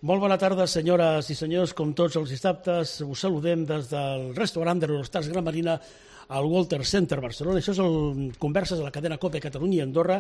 Molt bona tarda, senyores i senyors. Com tots els dissabtes, us saludem des del restaurant de l'Eurostars Gran Marina al Walter Center Barcelona. Això és el Converses de la cadena COPE Catalunya i Andorra.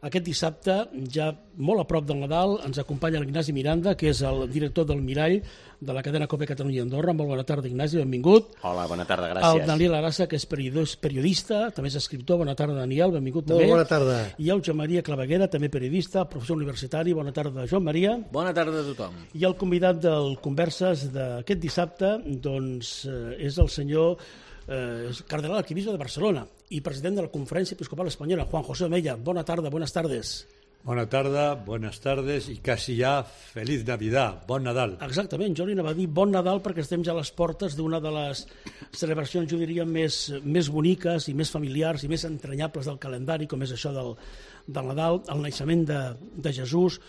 Aquest dissabte, ja molt a prop del Nadal, ens acompanya l'Ignasi Miranda, que és el director del Mirall de la cadena COPE Catalunya i Andorra. Molt bona tarda, Ignasi, benvingut. Hola, bona tarda, gràcies. El Daniel Arassa, que és periodista, també és escriptor. Bona tarda, Daniel, benvingut també. Molt bona tarda. I el Joan Maria Claveguera, també periodista, professor universitari. Bona tarda, Joan Maria. Bona tarda a tothom. I el convidat del Converses d'aquest dissabte doncs, és el senyor cardenal arquebisbe de Barcelona i president de la Conferència Episcopal Espanyola, Juan José Omella. Bona tarda, buenas tardes. Bona tarda, buenas tardes i quasi ja Feliz Navidad, bon Nadal. Exactament, jo li anava a dir bon Nadal perquè estem ja a les portes d'una de les celebracions, jo diria, més boniques i més familiars i més entranyables del calendari, com és això del Nadal, el naixement de Jesús.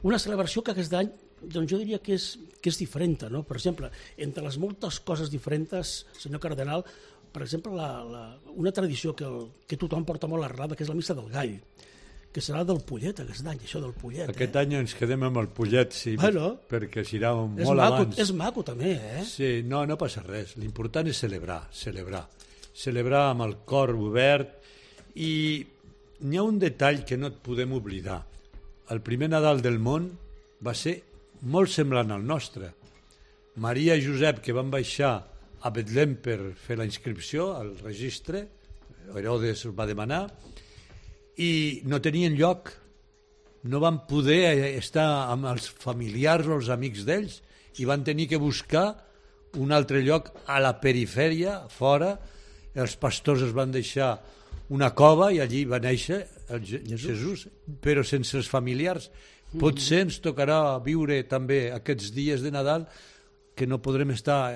Una celebració que aquest any doncs jo diria que és diferent, no? Per exemple, entre les moltes coses diferents, senyor cardenal, per exemple, una tradició que tothom porta molt arrelada, que és la missa del gall, que serà del pollet aquest any, això del pollet. Aquest any ens quedem amb el pollet, sí, bueno, perquè serà molt abans. És maco també, eh? Sí, no passa res. L'important és celebrar amb el cor obert. I n'hi ha un detall que no et podem oblidar. El primer Nadal del món va ser molt semblant al nostre. Maria i Josep, que van baixar a Betlem per fer la inscripció al registre, Herodes el va demanar, i no tenien lloc, no van poder estar amb els familiars o els amics d'ells, i van tenir que buscar un altre lloc a la perifèria, fora. Els pastors es van deixar una cova i allí va néixer el Jesús, però sense els familiars. Potser ens tocarà viure també aquests dies de Nadal que no podrem estar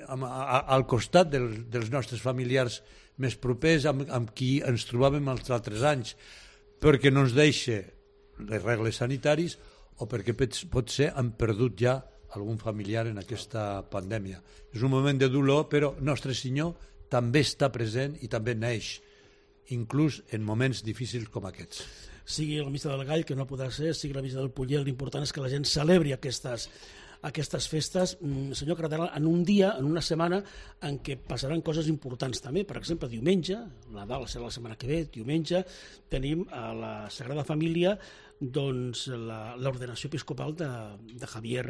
al costat dels nostres familiars més propers amb qui ens trobàvem els altres anys, perquè no ens deixa les regles sanitaris o perquè potser hem perdut ja algun familiar en aquesta pandèmia. És un moment de dolor, però Nostre Senyor també està present i també neix, inclús en moments difícils com aquests. Sigui la missa del gall, que no podrà ser, sigui la missa del pollet, l'important és que la gent celebri aquestes festes, senyor cardenal, en un dia, en una setmana en què passaran coses importants també. Per exemple, diumenge, Nadal serà la setmana que ve, diumenge tenim a la Sagrada Família doncs l'ordenació episcopal de Javier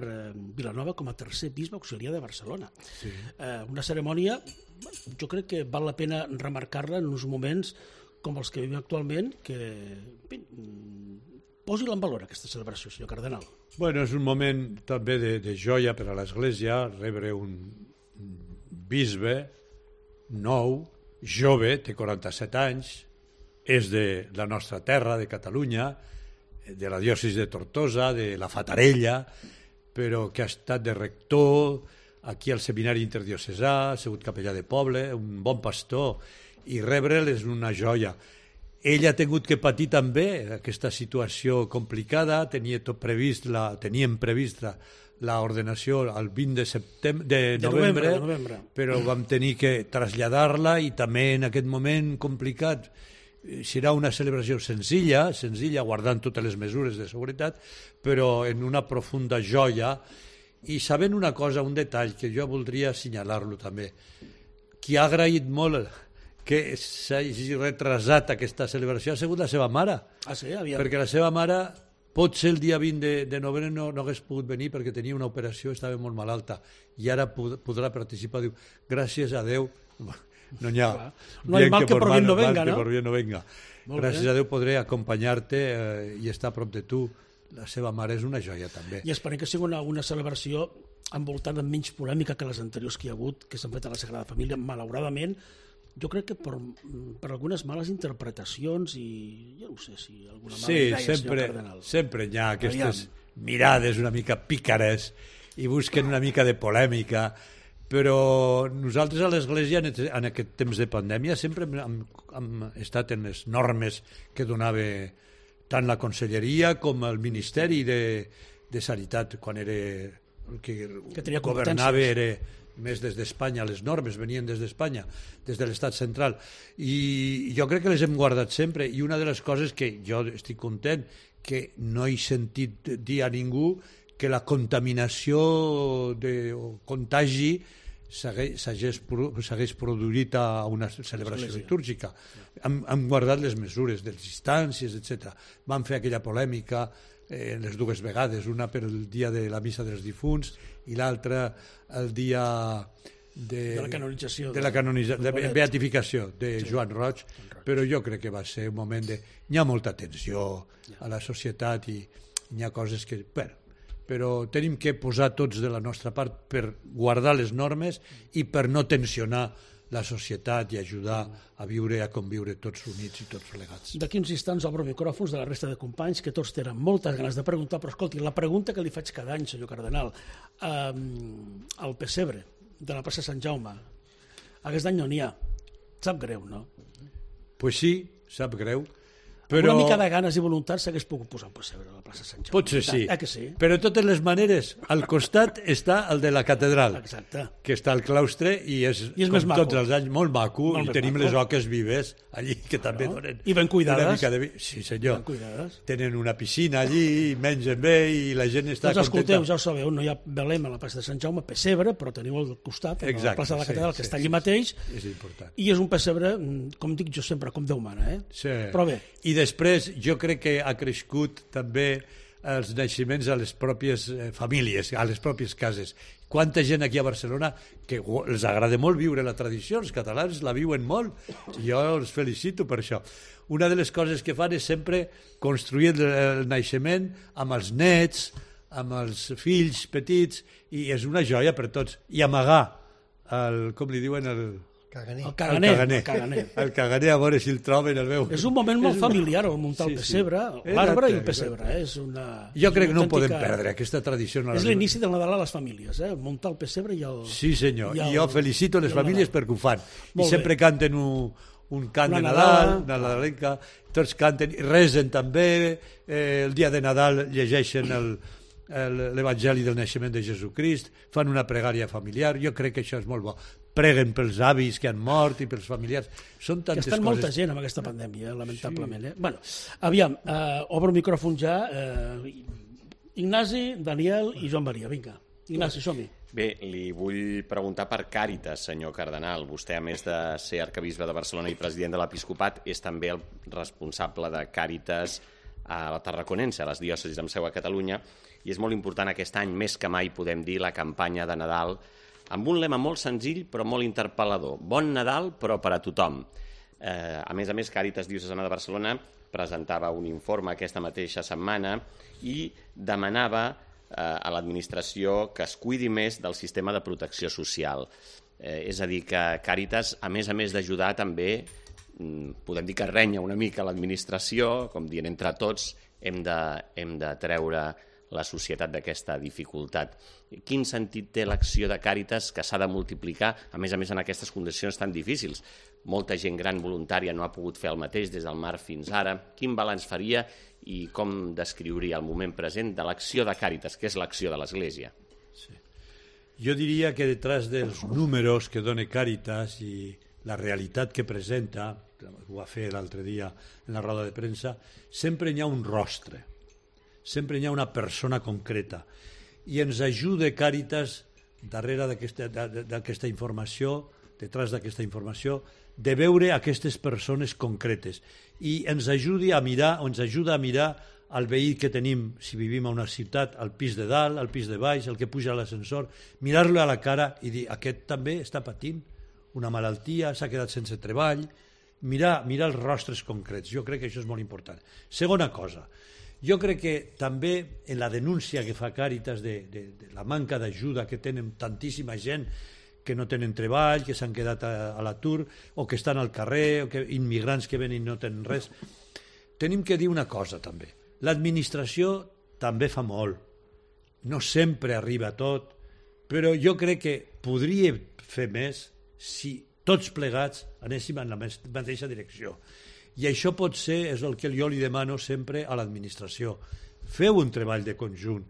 Vilanova com a tercer bisbe auxiliar de Barcelona. Sí. Una cerimònia, jo crec que val la pena remarcar-la en uns moments com els que vivim actualment, que posi-la en valor, aquesta celebració, senyor cardenal. Bueno, és un moment també de joia per a l'Església, rebre un bisbe nou, jove, té 47 anys, és de la nostra terra, de Catalunya, de la diòcesi de Tortosa, de la Fatarella, però que ha estat de rector aquí al Seminari Interdiocesà, ha sigut capellà de poble, un bon pastor, i rebre'l és una joia. Ell ha tingut que patir també aquesta situació complicada, teníem previst l'ordenació el 20 de novembre, però vam tenir que traslladar-la i també en aquest moment complicat serà una celebració senzilla, guardant totes les mesures de seguretat, però en una profunda joia i sabent una cosa, un detall que jo voldria assenyalar-lo també. Qui ha agraït molt que s'hagi retrasat aquesta celebració ha sigut la seva mare. Ah, sí? Aviam. Perquè la seva mare potser el dia 20 de novembre no hagués pogut venir perquè tenia una operació, estava molt malalta, i ara podrà participar. Diu, gràcies a Déu, no hi ha... No hay mal que por bien no venga, no? Gràcies a Déu podré acompanyar-te i estar a prop de tu. La seva mare és una joia també. I esperem que sigui una celebració envoltant amb menys polèmica que les anteriors que hi ha hagut, que s'han fet a la Sagrada Família, malauradament. Jo crec que per algunes males interpretacions i jo no sé si alguna mala idea, senyor cardenal. Sempre hi ha aquestes mirades una mica pícares i busquen una mica de polèmica, però nosaltres a l'Església en aquest temps de pandèmia sempre hem estat en les normes que donava tant la Conselleria com el Ministeri de Sanitat, quan era el que governava era més des d'Espanya, les normes venien des d'Espanya, des de l'Estat central, i jo crec que les hem guardat sempre, i una de les coses que jo estic content, que no he sentit dir a ningú que la contaminació o contagi s'hagués produït a una celebració litúrgica. Hem guardat les mesures de les distàncies, etc. Vam fer aquella polèmica les dues vegades, una per el dia de la missa dels difunts i l'altra el dia de la canonització, de la beatificació de Joan Roig, però jo crec que va ser un moment de... Hi ha molta tensió a la societat i hi ha coses que... però tenim que posar tots de la nostra part per guardar les normes i per no tensionar la societat i ajudar a viure i a conviure tots units i tots plegats. D'aquí uns instants obro micròfons de la resta de companys que tots tenen moltes ganes de preguntar, però escolti, la pregunta que li faig cada any, senyor cardenal, al pessebre de la plaça Sant Jaume, aquest any no n'hi ha. Sap greu, no? Pues sí, sap greu. Però... Una mica de ganes i voluntat s'hagués pogut posar un pessebre a la plaça Sant Jaume. Potser sí. Que sí. Però de totes les maneres, al costat està el de la catedral, exacte, que està al claustre i és com més maco. Tots els anys molt maco, molt i tenim les oques vives allí que també donen i ben cuidades. Una mica de... Sí, senyor. Ben cuidades. Tenen una piscina allí, mengen bé i la gent està doncs contenta. Escolteu, ja ho sabeu, no hi ha Belém a la plaça de Sant Jaume, pessebre, però teniu al costat, a la plaça de la catedral, que està allí mateix, és important. I és un pessebre, com dic jo sempre, com Déu mana, Sí. Però bé. I després, jo crec que ha crescut també els naixements a les pròpies famílies, a les pròpies cases. Quanta gent aquí a Barcelona que els agrada molt viure la tradició, els catalans la viuen molt, i jo els felicito per això. Una de les coses que fan és sempre construir el naixement amb els nets, amb els fills petits, i és una joia per tots. I amagar, com li diuen, el caganer, a veure si el troben, el veu. És un moment molt familiar, el muntar el pessebre, l'arbre i el pessebre. Jo crec que no podem perdre aquesta tradició. És l'inici del Nadal a les famílies, muntar el pessebre i el... Sí, senyor, i jo felicito les famílies perquè ho fan. I sempre canten un cant de Nadal, una nadalenca, tots canten, resen també, el dia de Nadal llegeixen l'Evangeli del naixement de Jesucrist, fan una pregària familiar, jo crec que això és molt bo. Preguen pels avis que han mort i pels familiars. Són tantes coses. Que estan molta gent amb aquesta pandèmia, lamentablement. Bueno, aviam, obro el micròfon ja. Ignasi, Daniel i Joan Maria, vinga. Ignasi, som-hi. Bé, li vull preguntar per Càritas, senyor cardenal. Vostè, a més de ser arquebisbe de Barcelona i president de l'Episcopat, és també el responsable de Càritas a la Tarraconense, a les diòcesis amb seu a Catalunya, i és molt important aquest any, més que mai, podem dir, la campanya de Nadal, amb un lema molt senzill però molt interpel·lador. Bon Nadal, però per a tothom. A més, Càritas Diocesana de Barcelona presentava un informe aquesta mateixa setmana i demanava a l'administració que es cuidi més del sistema de protecció social. És a dir, que Càritas, a més d'ajudar, també podem dir que renya una mica l'administració, com dient entre tots hem de treure la societat d'aquesta dificultat. Quin sentit té l'acció de Càritas que s'ha de multiplicar, a més en aquestes condicions tan difícils? Molta gent gran voluntària no ha pogut fer el mateix des del mar fins ara. Quin balanç faria i com descriuria el moment present de l'acció de Càritas, que és l'acció de l'Església? Sí. Jo diria que detrás dels números que dona Càritas i la realitat que presenta, ho va fer l'altre dia en la roda de premsa, sempre hi ha un rostre, sempre hi ha una persona concreta, i ens ajuda Càritas darrere d'aquesta informació, detrás d'aquesta informació, de veure aquestes persones concretes, i ens ajuda a mirar el veí que tenim, si vivim a una ciutat, al pis de dalt, al pis de baix, el que puja a l'ascensor, mirar-lo a la cara i dir, aquest també està patint una malaltia, s'ha quedat sense treball, mirar els rostres concrets. Jo crec que això és molt important. Segona cosa, jo crec que també en la denúncia que fa Càritas de la manca d'ajuda que tenen tantíssima gent que no tenen treball, que s'han quedat a l'atur, o que estan al carrer, o que immigrants que venen i no tenen res, tenim que dir una cosa també. L'administració també fa molt. No sempre arriba a tot, però jo crec que podria fer més si tots plegats anéssim en la mateixa direcció. I això pot ser, és el que jo li demano sempre a l'administració. Feu un treball de conjunt.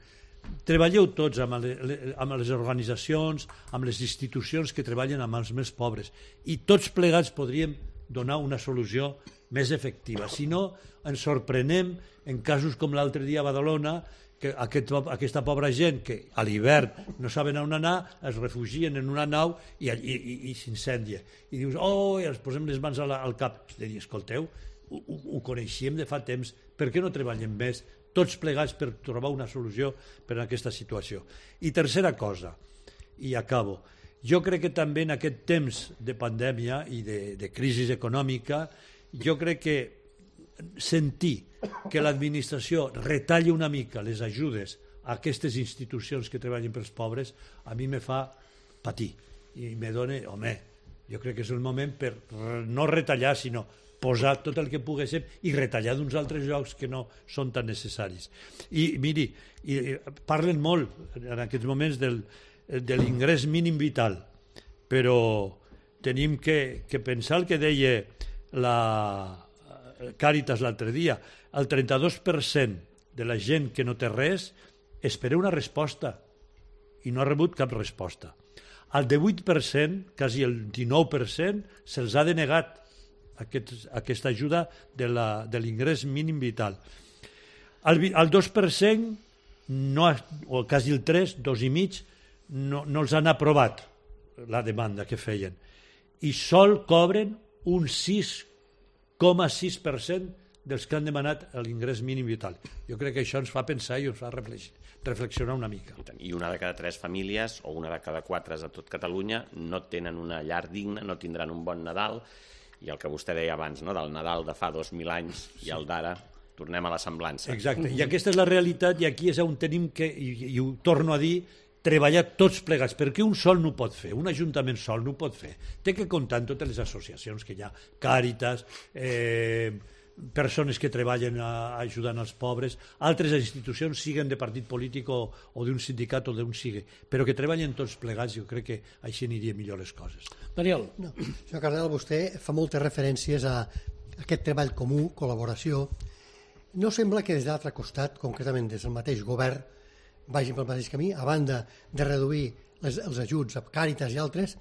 Treballeu tots amb les organitzacions, amb les institucions que treballen amb els més pobres, i tots plegats podríem donar una solució més efectiva. Si no, ens sorprenem en casos com l'altre dia a Badalona, que aquesta pobra gent que a l'hivern no saben on anar, es refugien en una nau i s'incendia. I dius, i ens posem les mans al cap. De dir, escolteu, ho coneixíem de fa temps, per què no treballem més tots plegats per trobar una solució per a aquesta situació? I tercera cosa, i acabo, jo crec que també en aquest temps de pandèmia i de crisi econòmica, jo crec que sentir que l'administració retalli una mica les ajudes a aquestes institucions que treballen pels pobres, a mi me fa patir i me dona, jo crec que és el moment per no retallar, sinó posar tot el que poguéssim i retallar d'uns altres llocs que no són tan necessaris. I miri, parlen molt en aquests moments de l'ingrés mínim vital, però tenim que pensar el que deia la Càritas l'altre dia, el 32% de la gent que no té res espera una resposta i no ha rebut cap resposta. Al 18%, quasi el 19%, se'ls ha denegat aquesta ajuda de l'ingrés mínim vital. Al 2%, o quasi el 3%, 2,5%, no els han aprovat la demanda que feien. I sol cobren un 6,6% dels que han demanat l'ingrés mínim vital. Jo crec que això ens fa pensar i ens fa reflexionar una mica. I una de cada 3 famílies, o una de cada 4 a tot Catalunya, no tenen una llar digna, no tindran un bon Nadal, i el que vostè deia abans, no? Del Nadal de fa 2.000 anys i el d'ara, tornem a la semblança. Exacte, i aquesta és la realitat, i aquí és on tenim que, i ho torno a dir, treballar tots plegats, perquè un sol no ho pot fer, un ajuntament sol no ho pot fer. Té que comptar amb totes les associacions que hi ha, Càritas, persones que treballen ajudant els pobres, altres institucions, siguen de partit polític o d'un sindicat o d'un sigue, però que treballen tots plegats, jo crec que així aniria millor les coses. Daniel. No, senyor Cardenal, vostè fa moltes referències a aquest treball comú, col·laboració. No sembla que des de l'altre costat, concretament des del mateix govern, vagin pel mateix camí, a banda de reduir els ajuts a Càritas i altres,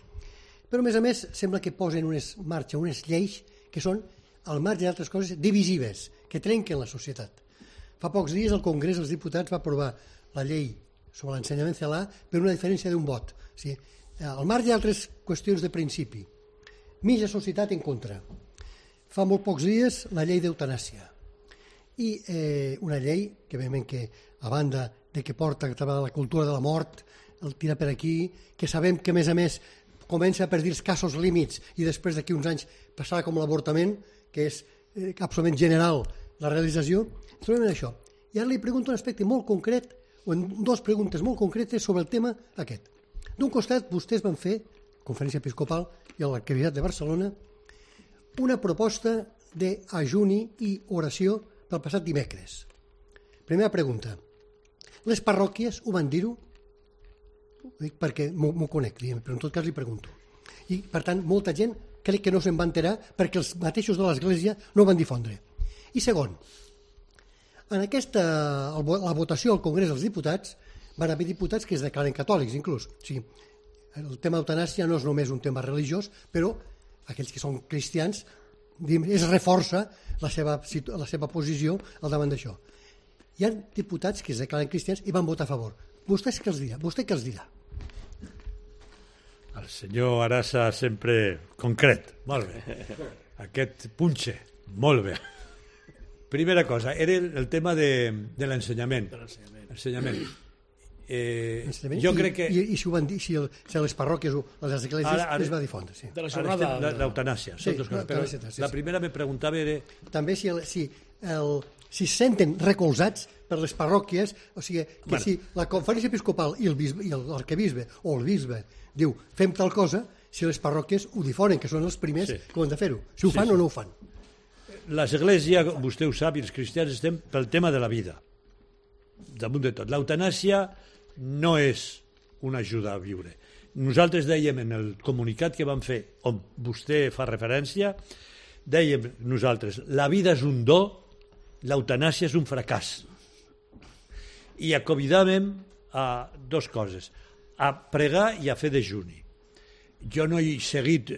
però a més sembla que posen en marxa unes lleis que són, al marge d'altres coses, divisives, que trenquen la societat. Fa pocs dies el Congrés dels Diputats va aprovar la llei sobre l'ensenyament celà per una diferència d'un vot. O sigui, al marge d'altres qüestions de principi. Mitja societat en contra. Fa molt pocs dies la llei d'eutanàsia. I una llei que, evidentment, que a banda de que porta la cultura de la mort, el tira per aquí, que sabem que, a més, comença a perdir els casos límits i després d'aquí uns anys passarà com l'avortament, que és absolutament general la realització, trobem en això. I ara li pregunto un aspecte molt concret, o en 2 preguntes molt concretes sobre el tema aquest. D'un costat, vostès van fer, Conferència Episcopal i l'Arquebisbat de Barcelona, una proposta d'ajuni i oració pel passat dimecres. Primera pregunta. Les parròquies ho van dir-ho? Ho dic perquè m'ho conec, però en tot cas li pregunto. I, per tant, molta gent crec que no se'n va enterar perquè els mateixos de l'Església no ho van difondre. I segon, en la votació al Congrés dels Diputats van haver diputats que es declaren catòlics, inclús. O sigui, el tema d'eutanàsia no és només un tema religiós, però aquells que són cristians es reforça la seva posició al davant d'això. Hi ha diputats que es declaren cristians i van votar a favor. Vostè què els dirà? Vostè què els dirà? El senyor Arasa sempre concret. Molt bé. Aquest punxe. Molt bé. Primera cosa, era el tema de l'ensenyament. Ensenyament. Jo crec que... I si ho van dir, si les parròquies o les esglésies es va difondre. Sí. De la jornada... L'eutanàsia. Sí, la primera me preguntava era... També si se senten recolzats per les parròquies, o sigui, que si la Conferència Episcopal i l'arquebisbe o el bisbe diu fem tal cosa, si les parròquies ho difonen, que són els primers que ho han de fer-ho. Si ho fan o no ho fan. L'Església, vostè ho sap, i els cristians estem pel tema de la vida. Damunt de tot. L'eutanàsia no és una ajuda a viure. Nosaltres dèiem en el comunicat que vam fer, on vostè fa referència, dèiem nosaltres, la vida és un do, l'eutanàsia és un fracàs. I convidàvem a 2 coses, a pregar i a fer dejuni. Jo no he seguit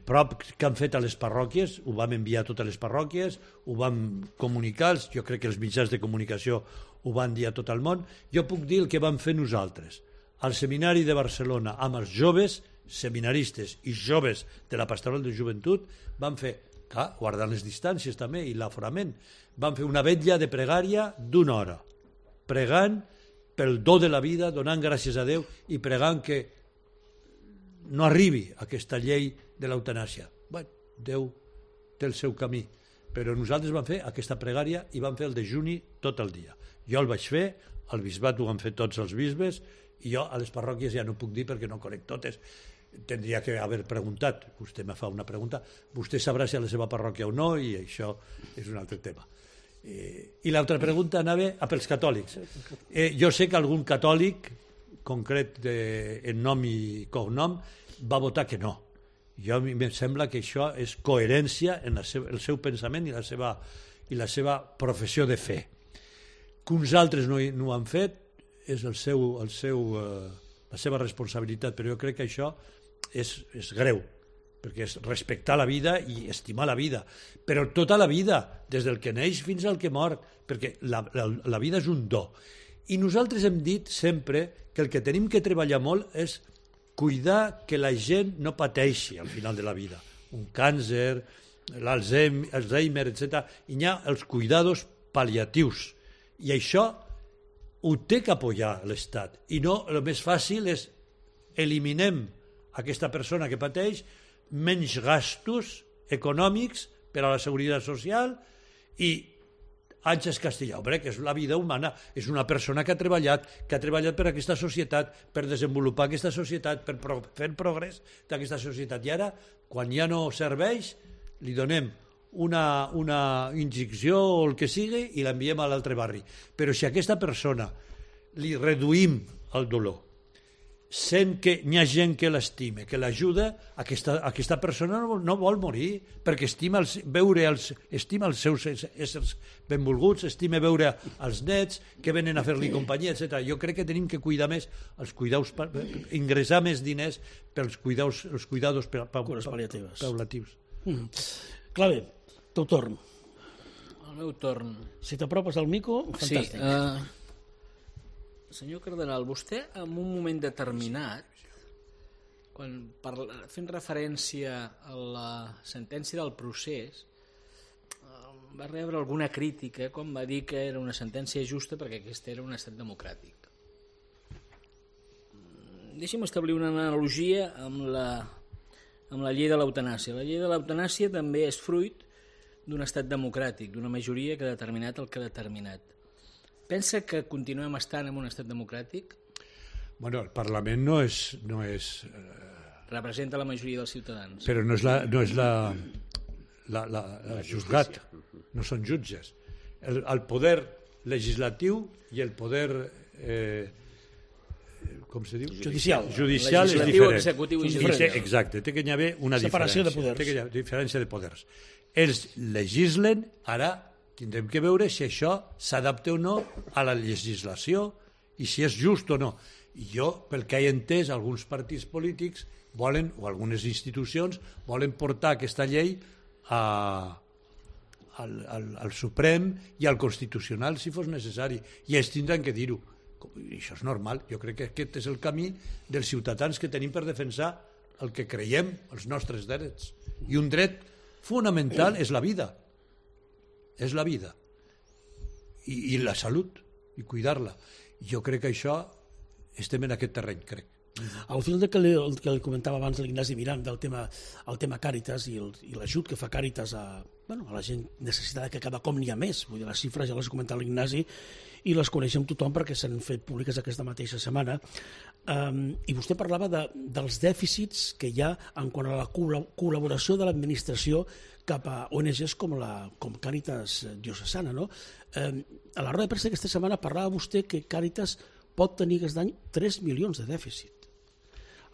prop que han fet a les parròquies, ho vam enviar a totes les parròquies, ho vam comunicar, jo crec que els mitjans de comunicació ho van dir a tot el món. Jo puc dir el que vam fer nosaltres. Al Seminari de Barcelona, amb els joves seminaristes i joves de la Pastoral de Joventut, vam fer, clar, guardant les distàncies també i l'aforament, vam fer una vetlla de pregària d'1 hora, pregant pel do de la vida, donant gràcies a Déu i pregant que no arribi aquesta llei de l'eutanàsia. Bé, Déu té el seu camí, però nosaltres vam fer aquesta pregària i vam fer el dejuni tot el dia. Jo el vaig fer, al bisbat ho han fet tots els bisbes, i jo a les parròquies ja no puc dir perquè no conec totes. Tendria que haver preguntat, vostè me fa una pregunta, vostè sabrà si a la seva parròquia o no, i això és un altre tema. I l'altra pregunta anava pels catòlics. Jo sé que algun catòlic concret en nom i cognom va votar que no. Jo a mi em sembla que això és coherència en el seu pensament i la seva professió de fe. Que uns altres no ho han fet és la seva responsabilitat, però jo crec que això és greu, perquè és respectar la vida i estimar la vida, però tota la vida, des del que neix fins al que mor, perquè la vida és un do. I nosaltres hem dit sempre que el que tenim que treballar molt és cuidar que la gent no pateixi al final de la vida. Un càncer, l'Alzheimer, etc. I hi ha els cuidados pal·liatius. I això ho té que apoyar l'Estat. I no, el més fàcil és eliminem aquesta persona que pateix, menys gastos econòmics per a la seguretat social i Àngels Castellà, que és la vida humana, és una persona que ha treballat per aquesta societat, per desenvolupar aquesta societat, per fer el progrés d'aquesta societat. I ara, quan ja no serveix, li donem una injecció o el que sigui i l'enviem a l'altre barri. Però si a aquesta persona li reduïm el dolor, sent que hi ha gent que l'estime, que l'ajuda, aquesta persona no vol morir, perquè estima els seus éssers benvolguts, estima veure els nets que venen a fer-li companyia, etc. Jo crec que tenim que cuidar més els cuidados, ingressar més diners pels cuidados paulatius. Clave, teu torn. El meu torn. Si t'apropes al micro, fantàstic. Sí, senyor Cardenal, vostè en un moment determinat, fent referència a la sentència del procés, va rebre alguna crítica quan va dir que era una sentència justa perquè aquest era un estat democràtic. Deixi'm establir una analogia amb la llei de l'eutanàsia. La llei de l'eutanàsia també és fruit d'un estat democràtic, d'una majoria que ha determinat el que ha determinat. Pensa que continuem estant en un estat democràtic? Bueno, el Parlament no és representa la majoria dels ciutadans. Però no és la jutgat, no són jutges. El poder legislatiu i el poder com se diu? Judicial és diferent. Executiu i judicial. Exacte, té que hi haver una separació diferència. de poders. Té que hi haver diferència de poders. Ells legislen, ara tindrem que veure si això s'adapta o no a la legislació i si és just o no. I jo, pel que he entès, alguns partits polítics volen, o algunes institucions, volen portar aquesta llei al Suprem i al Constitucional si fos necessari. I ells tindran que dir-ho. I això és normal. Jo crec que aquest és el camí dels ciutadans que tenim per defensar el que creiem, els nostres drets. I un dret fonamental és la vida. És la vida i la salut i cuidar-la. Jo crec que això estem en aquest terreny, crec. Al fil del que li comentava abans l'Ignasi Mirant del tema Càritas i l'ajut que fa Càritas a la gent necessitada, que cada cop n'hi ha més, vull dir, les xifres ja les ha comentat l'Ignasi i les coneixem tothom perquè s'han fet públiques aquesta mateixa setmana. I vostè parlava dels dèficits que hi ha en quant a la col·laboració de l'administració cap a ONGs com Càritas diocesana, no? A la roda de premsa aquesta setmana parlava vostè que Càritas pot tenir aquest any 3 milions de dèficit.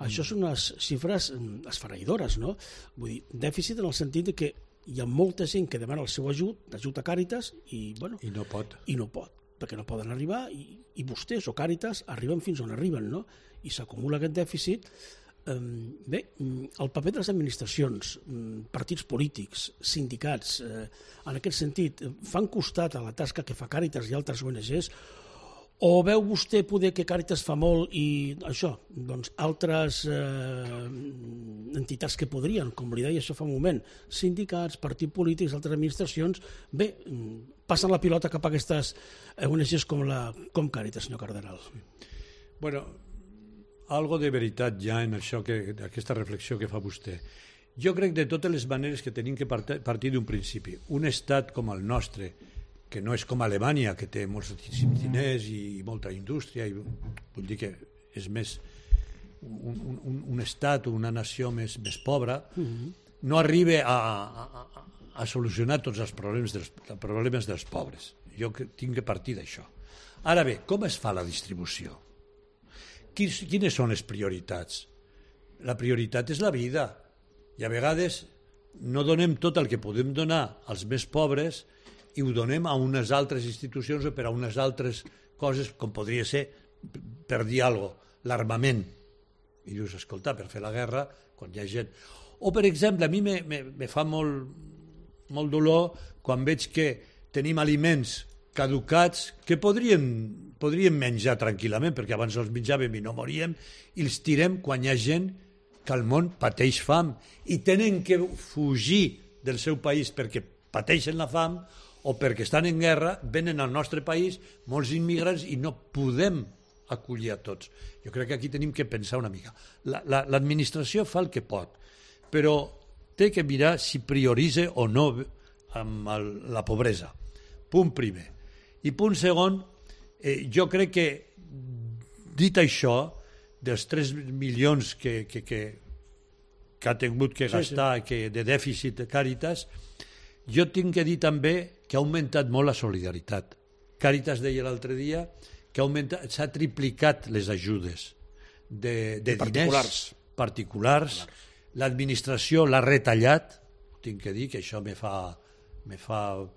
Això són unes xifres esfereïdores, no? Vull dir, dèficit en el sentit que hi ha molta gent que demana el seu ajut a Càritas i no pot, perquè no poden arribar i vostès o Càritas arriben fins on arriben, no? I s'acumula aquest dèficit Bé, el paper de les administracions, partits polítics, sindicats, en aquest sentit, fan costat a la tasca que fa Càritas i altres ONGs, o veu vostè poder que Càritas fa molt i això, doncs altres entitats que podrien, com li deia això fa un moment, sindicats, partits polítics, altres administracions, bé, passen la pilota cap a aquestes ONGs com Càritas, senyor Cardenal? Bueno, algo de veritat ja en això, aquesta reflexió que fa vostè. Jo crec de totes les maneres que tenim que partir d'un principi. Un estat com el nostre, que no és com Alemanya, que té molts diners i molta indústria, i vull dir que és més un estat o una nació més pobra, no arriba a solucionar tots els problemes dels pobres. Jo tinc que partir d'això. Ara bé, com es fa la distribució? Quines són les prioritats? La prioritat és la vida. I a vegades no donem tot el que podem donar als més pobres i ho donem a unes altres institucions o per a unes altres coses, com podria ser, per dir alguna cosa, l'armament. I dius, escolta, per fer la guerra, quan hi ha gent... O, per exemple, a mi me fa molt dolor quan veig que tenim aliments caducats que podríem menjar tranquil·lament, perquè abans els menjàvem i no moríem, i els tirem quan hi ha gent que al món pateix fam i tenen que fugir del seu país perquè pateixen la fam o perquè estan en guerra, venen al nostre país molts immigrants i no podem acollir a tots. Jo crec que aquí tenim que pensar una mica. L'administració fa el que pot, però té que mirar si prioritza o no amb la pobresa. Punt primer. I punt segon, jo crec que, dit això, dels 3 milions que ha tingut que gastar de dèficit de Càritas, jo tinc que dir també que ha augmentat molt la solidaritat. Càritas deia l'altre dia que s'ha triplicat les ajudes de diners particulars. L'administració l'ha retallat, tinc que dir que això me fa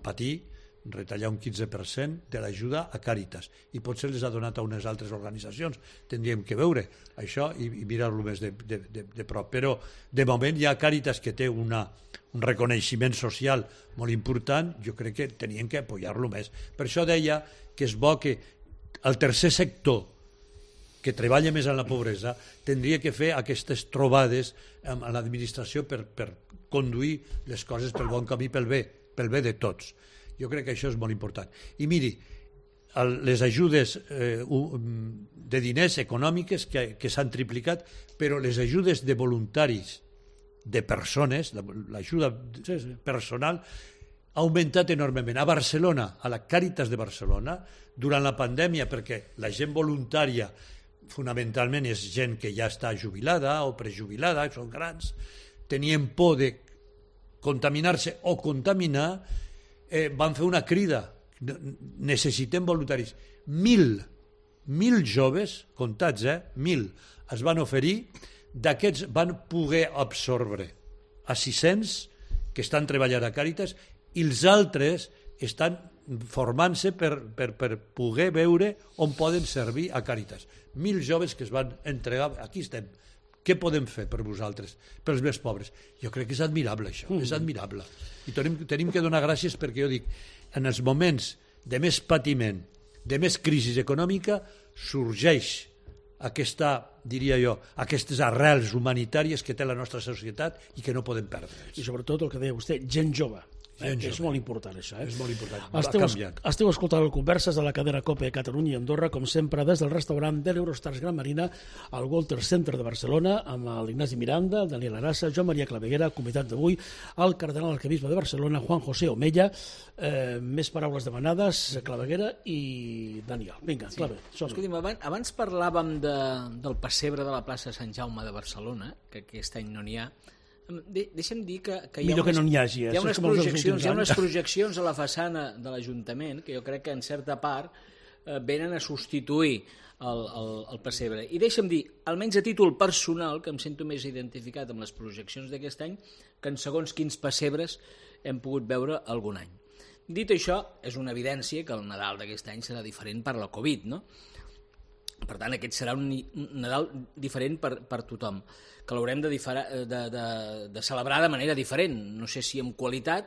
patir, retallar un 15% de l'ajuda a Càritas, i potser les ha donat a unes altres organitzacions. Tindríem que veure això i mirar-lo més de prop. Però de moment hi ha Càritas que té un reconeixement social molt important. Jo crec que tenien que apoyar-lo més. Per això deia que és bo que el tercer sector, que treballa més en la pobresa, tindria que fer aquestes trobades amb l'administració per conduir les coses pel bon camí, pel bé de tots. Jo crec que això és molt important. I miri, les ajudes de diners econòmiques que s'han triplicat, però les ajudes de voluntaris, de persones, l'ajuda personal, ha augmentat enormement. A Barcelona, a la Càritas de Barcelona, durant la pandèmia, perquè la gent voluntària fonamentalment és gent que ja està jubilada o prejubilada, són grans, tenien por de contaminar-se o contaminar, van fer una crida, necessitem voluntaris. 1.000 joves, comptats, 1.000, es van oferir, d'aquests van poder absorbre a 600 que estan treballant a Càritas i els altres estan formant-se per poder veure on poden servir a Càritas. 1.000 joves que es van entregar, aquí estem, què podem fer per vosaltres, pels més pobres? Jo crec que és admirable això, és admirable. I tenim que donar gràcies perquè jo dic, en els moments de més patiment, de més crisi econòmica, sorgeix diria jo, aquestes arrels humanitàries que té la nostra societat i que no podem perdre. I sobretot el que deia vostè, gent jove. És molt important això. És molt important. Esteu escoltant el Converses de la cadena COPE Catalunya i Andorra, com sempre, des del restaurant de l'Eurostars Gran Marina al Walter Center de Barcelona, amb l'Ignasi Miranda, Daniel Arassa, Joan Maria Claveguera, convidat d'avui, el cardenal arquebisbe de Barcelona, Juan José Omella. Més paraules demanades, Claveguera i Daniel. Vinga, Clave. Escolti'm, abans parlàvem del pessebre de la plaça Sant Jaume de Barcelona, que aquest any no n'hi ha. Deixa'm dir que hi ha unes projeccions a la façana de l'Ajuntament que jo crec que en certa part venen a substituir el pessebre. I deixa'm dir, almenys a títol personal, que em sento més identificat amb les projeccions d'aquest any, que en segons quins pessebres hem pogut veure algun any. Dit això, és una evidència que el Nadal d'aquest any serà diferent per la Covid, no? Per tant, aquest serà un Nadal diferent per tothom, que l'haurem de celebrar de manera diferent, no sé si amb qualitat,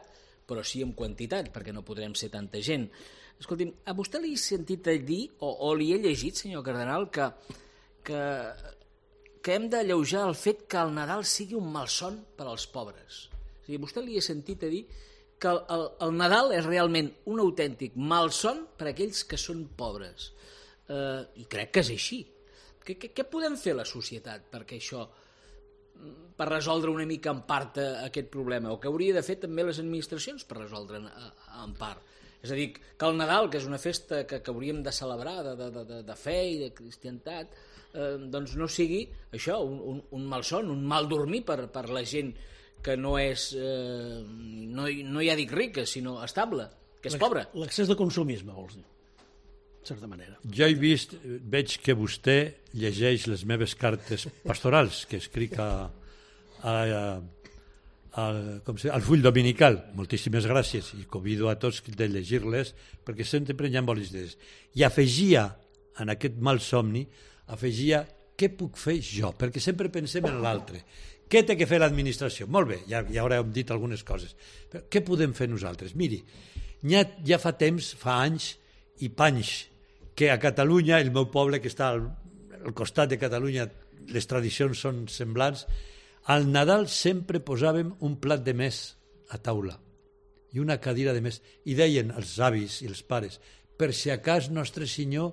però sí amb quantitat, perquè no podrem ser tanta gent. Escolti'm, a vostè li he sentit dir, o li he llegit, senyor Cardenal, que hem d'alleujar el fet que el Nadal sigui un malson per als pobres. O sigui, a vostè li he sentit dir que el Nadal és realment un autèntic malson per a aquells que són pobres. I crec que és així. Què podem fer la societat perquè això, per resoldre una mica en part aquest problema, o què hauria de fer també les administracions per resoldre en part? És a dir, que el Nadal, que és una festa que hauríem de celebrar de fe i de cristianitat, doncs no sigui això, un malson, un mal dormir per la gent que no és, no ja dic rica, sinó estable, que és pobra. L'excés de consumisme, vols dir, en certa manera. Jo veig que vostè llegeix les meves cartes pastorals que escric al full dominical. Moltíssimes gràcies i convido a tots de llegir-les perquè sempre hi ha bones idees. I afegia, en aquest mal somni, què puc fer jo? Perquè sempre pensem en l'altre. Què té que fer l'administració? Molt bé, ja haurem dit algunes coses. Però què podem fer nosaltres? Miri, ja fa temps, fa anys i panys, que a Catalunya, el meu poble que està al costat de Catalunya, les tradicions són semblants, al Nadal sempre posàvem un plat de més a taula i una cadira de més. I deien els avis i els pares, per si a cas Nostre Senyor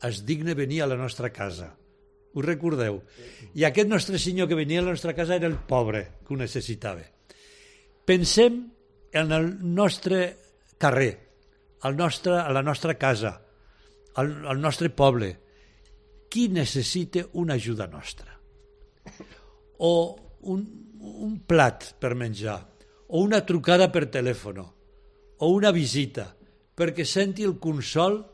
es digna venir a la nostra casa. Ho recordeu? I aquest Nostre Senyor que venia a la nostra casa era el pobre que ho necessitava. Pensem en el nostre carrer, a la nostra casa, al nostre poble. Qui necessita una ajuda nostra? O un plat per menjar, o una trucada per telèfon, o una visita, perquè senti el consol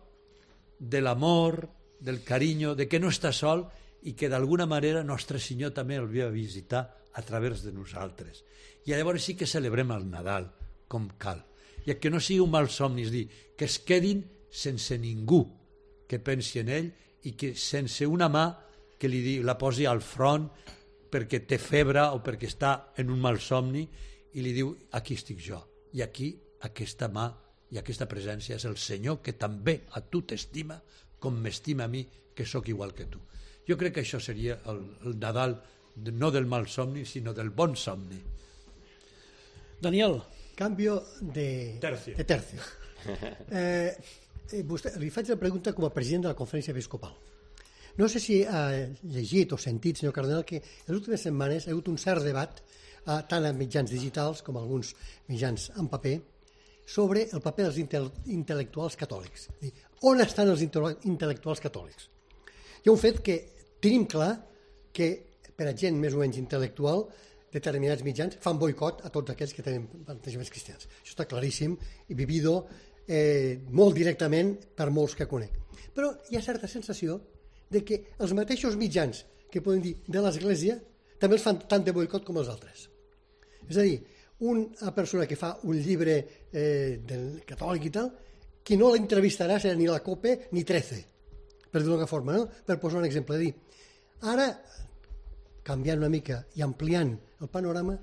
de l'amor, del carinyo, de que no està sol i que d'alguna manera Nostre Senyor també el ve a visitar a través de nosaltres. I llavors sí que celebrem el Nadal com cal. I que no sigui un mal somni, és dir, que es quedin sense ningú que pensi en ell i que sense una mà que la posi al front perquè té febre o perquè està en un mal somni i li diu, aquí estic jo. I aquí aquesta mà i aquesta presència és el Senyor que també a tu t'estima com m'estima a mi, que sóc igual que tu. Jo crec que això seria el Nadal, no del mal somni, sinó del bon somni. Daniel. Cambio de tercio. Vostè, li faig la pregunta com a president de la Conferència Episcopal. No sé si ha llegit o sentit, senyor Cardenal, que en les últimes setmanes ha hagut un cert debat, tant en mitjans digitals com alguns mitjans en paper, sobre el paper dels intel·lectuals catòlics. On estan els intel·lectuals catòlics? Hi ha un fet que tenim clar que per a gent més o menys intel·lectual determinats mitjans fan boicot a tots aquells que tenen plantejaments cristians. Això està claríssim i vivido molt directament per molts que conec. Però hi ha certa sensació de que els mateixos mitjans que podem dir de l'Església també els fan tant de boicot com els altres. És a dir, una persona que fa un llibre del catòlic i tal, qui no l'entrevistarà serà ni la COPE ni 13, per dir-ho d'una forma, no? Per posar un exemple. Dir, ara, canviant una mica i ampliant el panorama,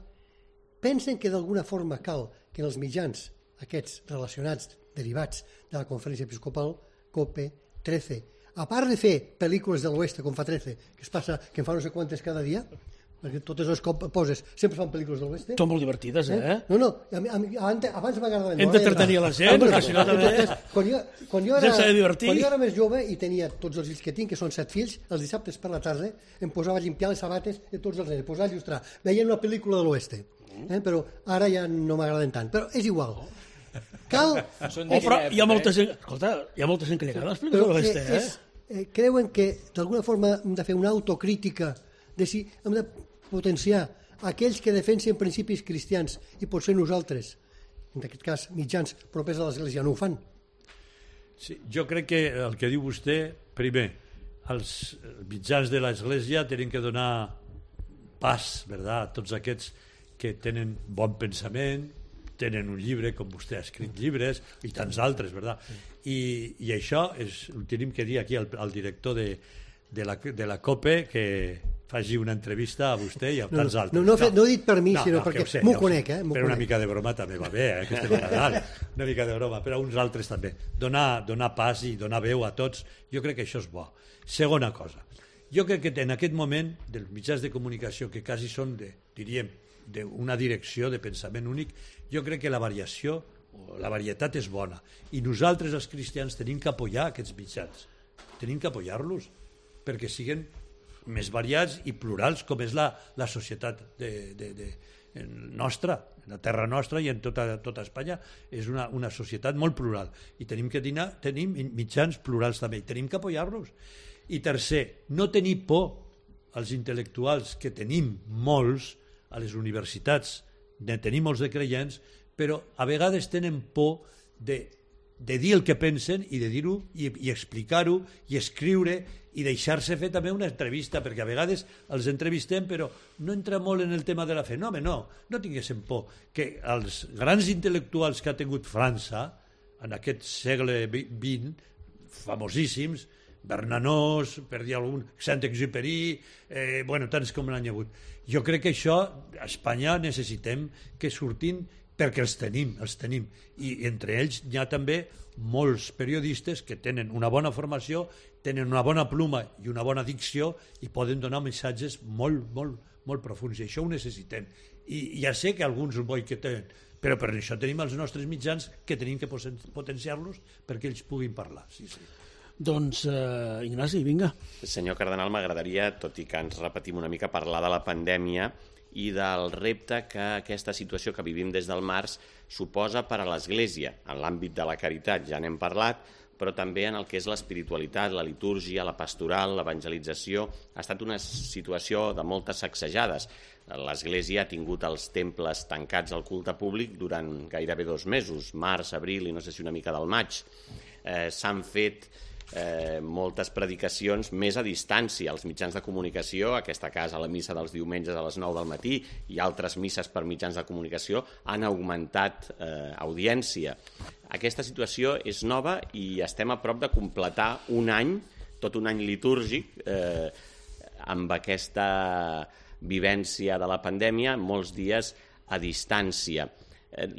pensen que d'alguna forma cal que en els mitjans aquests relacionats, derivats de la Conferència Episcopal, COPE, 13, a part de fer pel·lícules de l'Oeste com fa 13, que es passa que en fa no sé quantes cada dia, perquè totes les que poses sempre fan pel·lícules de l'Oeste. Són molt divertides, eh? No, abans m'agradava. Hem d'entretenir la gent, perquè si no també... Quan jo era més jove i tenia tots els fills que tinc, que són 7 fills, els dissabtes per la tarda em posava a limpiar les sabates de tots els nens, posava a il·lustrar. Veien una pel·lícula de l'Oeste, però ara ja no m'agraden tant. Però és igual. Cal... Però hi ha molta gent... Escolta, hi ha molta gent que li agrada les pel·lícules de l'Oeste, eh? Creuen que d'alguna forma hem de fer una autocrítica de si hem de potenciar aquells que defensen principis cristians i potser nosaltres, en aquest cas mitjans propers a l'Església, no ho fan. Sí, jo crec que el que diu vostè, primer, els mitjans de l'Església tenen que donar pas, ¿verdad?, a tots aquests que tenen bon pensament, tenen un llibre, com vostè ha escrit llibres, i tants altres, ¿verdad? I això ho tenim que dir aquí al director de la COPE, que faci una entrevista a vostè i a tants altres. No ho he dit per mi, sinó perquè m'ho conec. Però una mica de broma també va bé, que estem a Nadal. Una mica de broma, però a uns altres també. Donar pas i donar veu a tots, jo crec que això és bo. Segona cosa, jo crec que en aquest moment dels mitjans de comunicació, que quasi són, diríem, d'una direcció de pensament únic, jo crec que la variació, la varietat és bona. I nosaltres, els cristians, tenim que apoyar aquests mitjans. Tenim que apoyar-los perquè siguin més variats i plurals, com és la societat nostra, en la terra nostra i en tota Espanya. És una societat molt plural i tenim mitjans plurals també, i tenim que apoyar-los. I tercer, no tenir por als intel·lectuals, que tenim molts a les universitats, tenim molts de creients, però a vegades tenen por de dir el que pensen i de dir-ho i explicar-ho i escriure i deixar-se fer també una entrevista, perquè a vegades els entrevistem però no entra molt en el tema de la fe. No, no tinguéssim por, que els grans intel·lectuals que ha tingut França en aquest segle XX, famosíssims, Bernanos, per dir algun, Saint-Exupéry, tants com n'hi ha hagut. Jo crec que això a Espanya necessitem que surtin, perquè els tenim, i entre ells hi ha també molts periodistes que tenen una bona formació, tenen una bona pluma i una bona dicció i poden donar missatges molt, molt, molt profuns, i això ho necessitem. I ja sé que alguns ho boicotegen, però per això tenim els nostres mitjans, que tenim que potenciar-los perquè ells puguin parlar. Sí. Doncs, Ignasi, vinga. Senyor Cardenal, m'agradaria, tot i que ens repetim una mica, parlar de la pandèmia i del repte que aquesta situació que vivim des del març suposa per a l'Església, en l'àmbit de la caritat, ja n'hem parlat, però també en el que és l'espiritualitat, la litúrgia, la pastoral, l'evangelització. Ha estat una situació de moltes sacsejades. L'Església ha tingut els temples tancats al culte públic durant gairebé 2 mesos, març, abril i no sé si una mica del maig. S'han fet moltes predicacions més a distància. Els mitjans de comunicació, aquesta casa, la missa dels diumenges a les 9 del matí i altres misses per mitjans de comunicació han augmentat audiència. Aquesta situació és nova i estem a prop de completar un any, tot un any litúrgic, amb aquesta vivència de la pandèmia, molts dies a distància.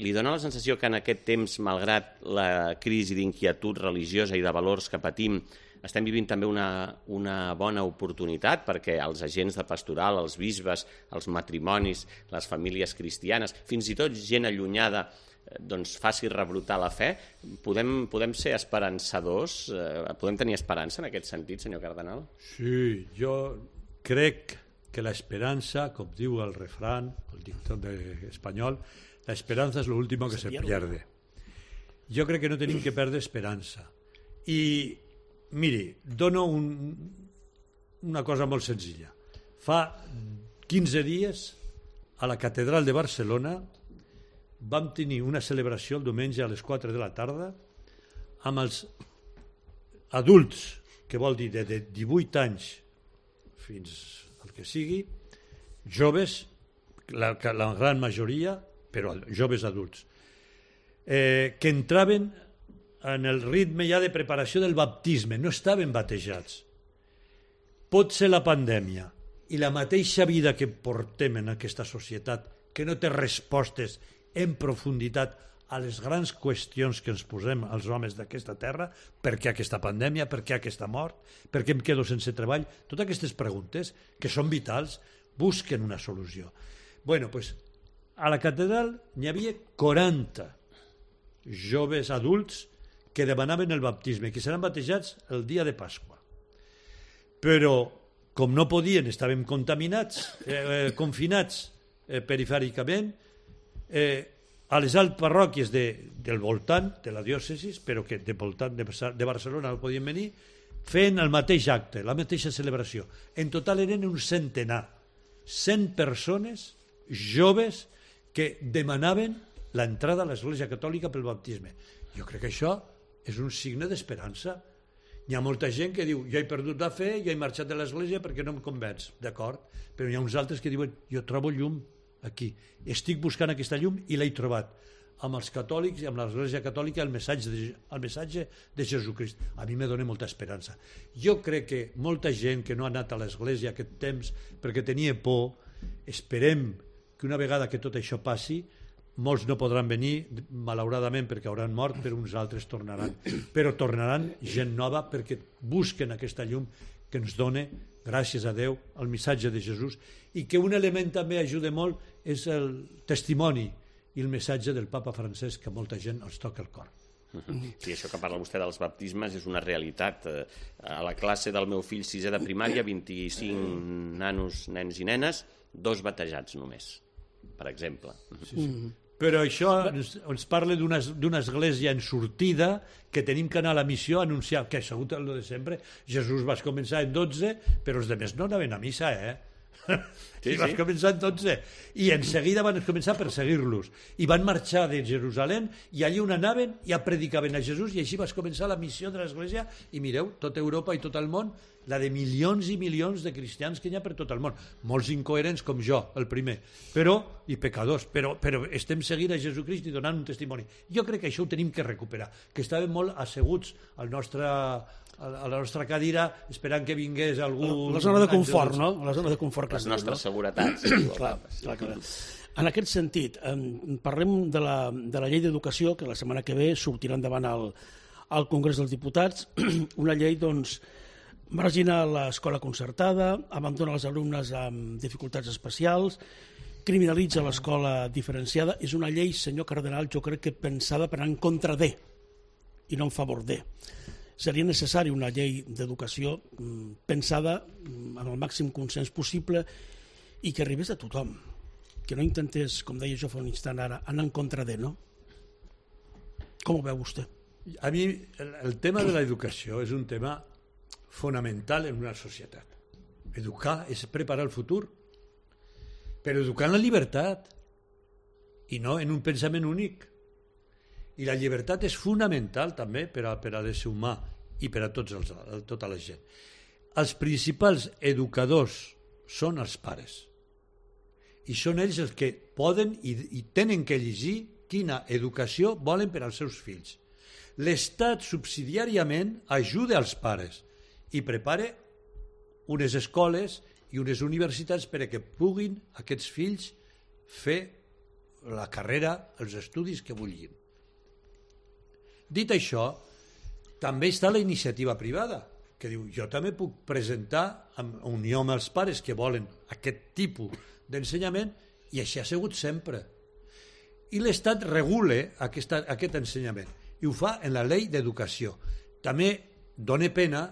Li dona la sensació que en aquest temps, malgrat la crisi d'inquietud religiosa i de valors que patim, estem vivint també una bona oportunitat perquè els agents de pastoral, els bisbes, els matrimonis, les famílies cristianes, fins i tot gent allunyada, doncs faci rebrotar la fe? Podem ser esperançadors? Podem tenir esperança en aquest sentit, senyor cardenal? Sí, jo crec que l'esperança, com diu el refrán, el dictón espanyol, la esperanza es lo último que se pierde. Jo crec que no tenim que perdre esperança. I, miri, dono una cosa molt senzilla. Fa 15 dies, a la Catedral de Barcelona, vam tenir una celebració el diumenge a les 4 de la tarda amb els adults, que vol dir de 18 anys fins al que sigui, joves, la gran majoria, però joves adults, que entraven en el ritme ja de preparació del baptisme, no estaven batejats. Pot ser la pandèmia i la mateixa vida que portem en aquesta societat, que no té respostes en profunditat a les grans qüestions que ens posem els homes d'aquesta terra, per què aquesta pandèmia, per què aquesta mort, per què em quedo sense treball, totes aquestes preguntes que són vitals, busquen una solució. Bueno, pues, a la catedral n'hi havia 40 joves adults que demanaven el baptisme, que seran batejats el dia de Pasqua. Però, com no podien, estaven contaminats, confinats perifèricament, a les altres parròquies del voltant de la diòcesi, però que del voltant de Barcelona no podien venir, fent el mateix acte, la mateixa celebració. En total eren un centenar, 100 persones joves que demanaven l'entrada a l'Església Catòlica pel baptisme. Jo crec que això és un signe d'esperança. Hi ha molta gent que diu, jo he perdut la fe, jo he marxat de l'Església perquè no em convenç, d'acord? Però hi ha uns altres que diuen, jo trobo llum aquí, estic buscant aquesta llum i l'he trobat. amb els catòlics i amb l'Església Catòlica el missatge de Jesucrist. A mi me dona molta esperança. Jo crec que molta gent que no ha anat a l'Església aquest temps perquè tenia por, esperem que una vegada que tot això passi, molts no podran venir, malauradament, perquè hauran mort, però uns altres tornaran. Però tornaran gent nova perquè busquen aquesta llum que ens dona, gràcies a Déu, el missatge de Jesús, i que un element també ajuda molt és el testimoni i el missatge del papa Francesc, que molta gent els toca el cor. Sí, això que parla vostè dels baptismes és una realitat. A la classe del meu fill 6è de primària, 25 nanos, nens i nenes, 2 batejats només, per exemple. Sí. Però això ens parla d'una església en sortida, que tenim que anar a la missió a anunciar, que ha sigut el de sempre. Jesús va començar en 12, però els altres no anaven a missa, Sí, i vas començar en 12 i en seguida van començar a perseguir-los i van marxar de Jerusalem i allí on anaven ja predicaven a Jesús i així vas començar la missió de l'Església i mireu, tota Europa i tot el món, la de milions i milions de cristians que hi ha per tot el món, molts incoherents com jo, el primer, i pecadors, però estem seguint a Jesucrist i donant un testimoni. Jo crec que això ho tenim que recuperar, que estàvem molt asseguts a la nostra cadira esperant que vingués algú... La zona de confort, no? La zona de confort. Les nostres seguretats. Clar. En aquest sentit, parlem de la llei d'educació, que la setmana que ve sortirà endavant al Congrés dels Diputats, una llei, doncs, margina l'escola concertada, abandona els alumnes amb dificultats especials, criminalitza l'escola diferenciada. És una llei, senyor Cardenal, jo crec que pensada per anar en contra de, i no en favor de. Seria necessari una llei d'educació pensada amb el màxim consens possible i que arribés a tothom, que no intentés, com deia jo fa un instant ara, anar en contra de, no? Com ho veu vostè? A mi el tema de l'educació és un tema fonamental en una societat. Educar és preparar el futur, però educar en la llibertat i no en un pensament únic. I la llibertat és fonamental també per a l'ésser humà i per a tota la gent. Els principals educadors són els pares. I són ells els que poden i tenen que llegir quina educació volen per als seus fills. L'Estat subsidiàriament ajuda als pares i prepara unes escoles i unes universitats perquè puguin aquests fills fer la carrera, els estudis que vulguin. Dit això, també està la iniciativa privada, que diu, jo també puc presentar en unió amb els pares que volen aquest tipus d'ensenyament, i així ha sigut sempre. I l'Estat regula aquest ensenyament, i ho fa en la llei d'educació. També dona pena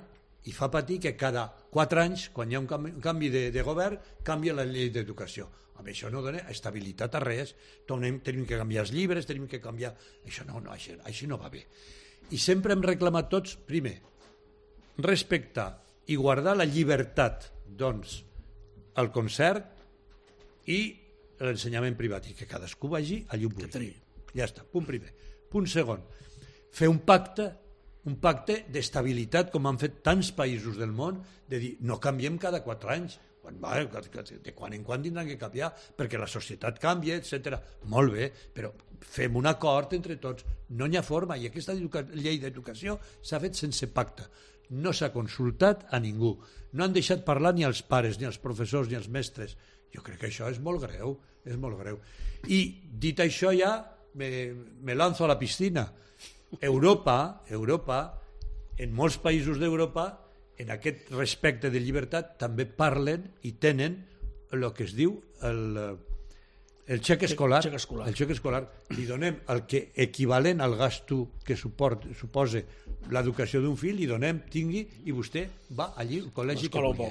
i fa patir que cada 4 anys, quan hi ha un canvi de govern, canvia la llei d'educació. Amb això no dona estabilitat a res, tenim que canviar els llibres, tenim que canviar... Això no va bé. I sempre hem reclamat tots, primer, respectar i guardar la llibertat, doncs, el concert i l'ensenyament privat, i que cadascú vagi allà on vulgui. Ja està, punt primer. Punt segon, fer un pacte d'estabilitat, com han fet tants països del món, de dir, no canviem cada 4 anys, de quan en quan tindran que canviar perquè la societat canvia, etc. Molt bé, però fem un acord entre tots, no hi ha forma, i aquesta llei d'educació s'ha fet sense pacte, no s'ha consultat a ningú, no han deixat parlar ni els pares, ni els professors, ni els mestres. Jo crec que això és molt greu, i dit això ja me lanzo a la piscina. Europa, en molts països d'Europa, en aquest respecte de llibertat també parlen i tenen el que es diu el xec escolar. El xec escolar. Li donem el que equivalent al gasto que suposa l'educació d'un fill, li donem, tingui, i vostè va allí al col·legi que vulgui.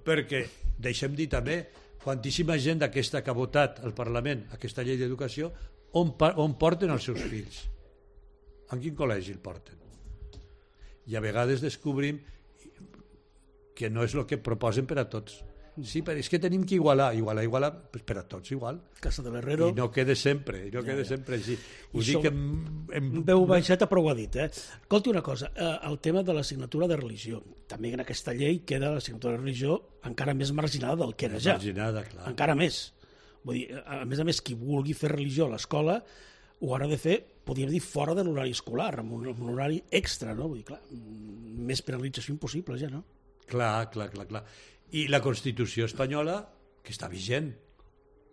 Perquè, deixem dir també, quantíssima gent d'aquesta que ha votat al Parlament aquesta llei d'educació, on porten els seus fills? En quin col·legi el porten? I a vegades descobrim que no és el que proposen per a tots. Sí, però és que tenim que igualar per a tots igual. Casa de l'Herrero. I no queda sempre així. Ho dic en veu baixeta, però ho ha dit. Escolti una cosa, el tema de l'assignatura de religió. També en aquesta llei queda l'assignatura de religió encara més marginada del que era ja. Marginada, clar. Encara més. Vull dir, a més, qui vulgui fer religió a l'escola ho haurà de fer, podríem dir, fora de l'horari escolar, amb un horari extra, no? Vull dir, clar, més penalització impossible, ja, no? Clar. I la Constitució espanyola, que està vigent,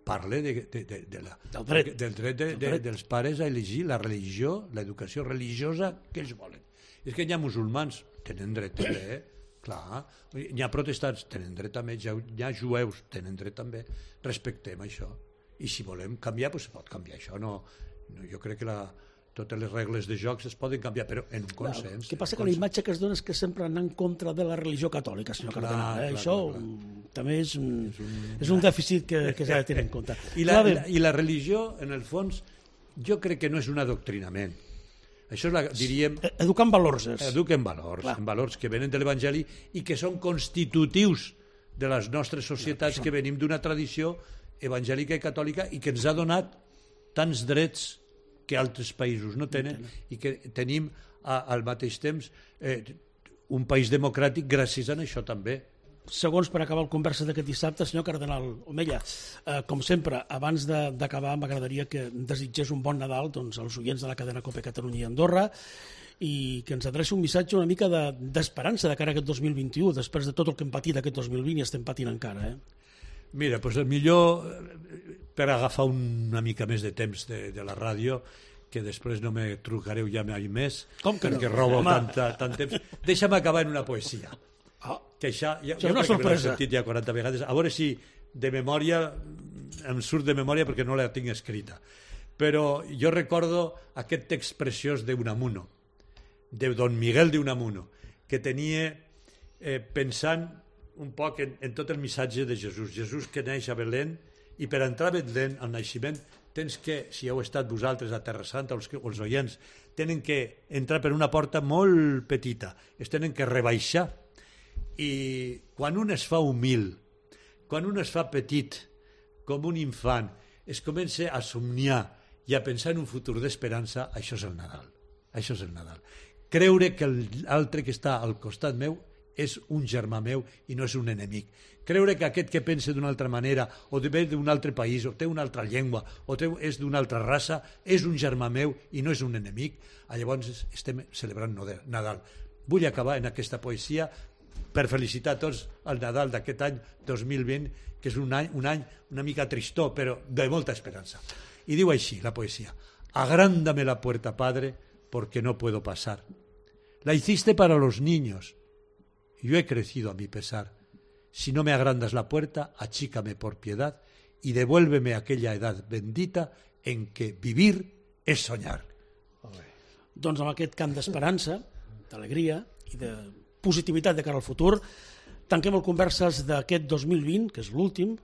parla del dret dels pares a elegir la religió, l'educació religiosa que ells volen. És que hi ha musulmans, tenen dret també, clar, hi ha protestants, tenen dret també, hi ha jueus, tenen dret també, respectem això. I si volem canviar, doncs pot canviar això. Jo crec que totes les regles de jocs es poden canviar, però en un consens. El que passa que la imatge que es dona és que sempre anar en contra de la religió catòlica, senyor Cardenal. Això també és un dèficit que s'ha de tenir en compte. I la religió, en el fons, jo crec que no és un adoctrinament. Això diríem... Educar en valors. Educar en valors que venen de l'Evangeli i que són constitutius de les nostres societats, que venim d'una tradició evangèlica i catòlica i que ens ha donat tants drets que altres països no tenen i que tenim al mateix temps un país democràtic gràcies a això també. Segons per acabar el conversa d'aquest dissabte, senyor Cardenal Omella, com sempre, abans d'acabar m'agradaria que desitgés un bon Nadal als oients de la cadena COPE Catalunya i Andorra i que ens adreci un missatge una mica d'esperança de cara a aquest 2021, després de tot el que hem patit aquest 2020 i estem patint encara. Mira, doncs el millor, per agafar una mica més de temps de la ràdio, que després no me trucareu ja mai més, perquè robo tant temps, deixa'm acabar en una poesia. Que això jo crec que l'he sentit ja 40 vegades, a veure si de memòria em surt de memòria perquè no la tinc escrita, però jo recordo aquest text preciós d'Unamuno, de Don Miguel de Unamuno, que tenia pensant un poc en tot el missatge de Jesús que neix a Belén, i per entrar a Belén, al naixement, tens que, si heu estat vosaltres a Terra Santa, els oients, tenen que entrar per una porta molt petita, es tenen que rebaixar. I quan un es fa humil, quan un es fa petit, com un infant, es comença a somniar i a pensar en un futur d'esperança, això és el Nadal. Això és el Nadal. Creure que l'altre que està al costat meu és un germà meu i no és un enemic. Creure que aquest que pensa d'una altra manera, o ve d'un altre país, o té una altra llengua, o és d'una altra raça, és un germà meu i no és un enemic. Llavors estem celebrant Nadal. Vull acabar en aquesta poesia per felicitar a tots el Nadal d'aquest any 2020, que és un any una mica tristó, però de molta esperança. I diu així la poesia: agrándame la puerta, Padre, porque no puedo pasar. La hiciste para los niños. Yo he crecido a mi pesar. Si no me agrandas la puerta, achícame por piedad y devuélveme aquella edad bendita en que vivir es soñar. Doncs amb aquest cant d'esperança, d'alegria i de positivitat de cara al futur, tanquem el Converses d'aquest 2020, que és l'últim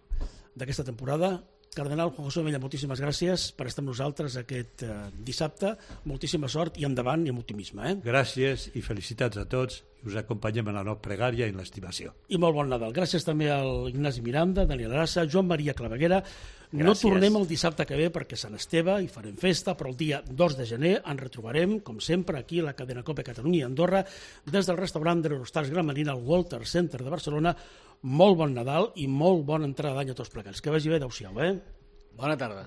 d'aquesta temporada. Cardenal Juan José Omella, moltíssimes gràcies per estar amb nosaltres aquest dissabte. Moltíssima sort i endavant i amb optimisme. Gràcies i felicitats a tots. Us acompanyem en la nostra pregària i en l'estimació. I molt bon Nadal. Gràcies també al Ignasi Miranda, Daniel Arassa, Joan Maria Claveguera. No tornem el dissabte que ve perquè Sant Esteve i farem festa, però el dia 2 de gener ens retrobarem, com sempre, aquí a la cadena COPE Catalunya i Andorra, des del restaurant de l'Eurostars Gran Marina al Walter Center de Barcelona. Molt bon Nadal i molt bona entrada d'any a tots plegats. Que vagi bé, adeu-siau. Bona tarda.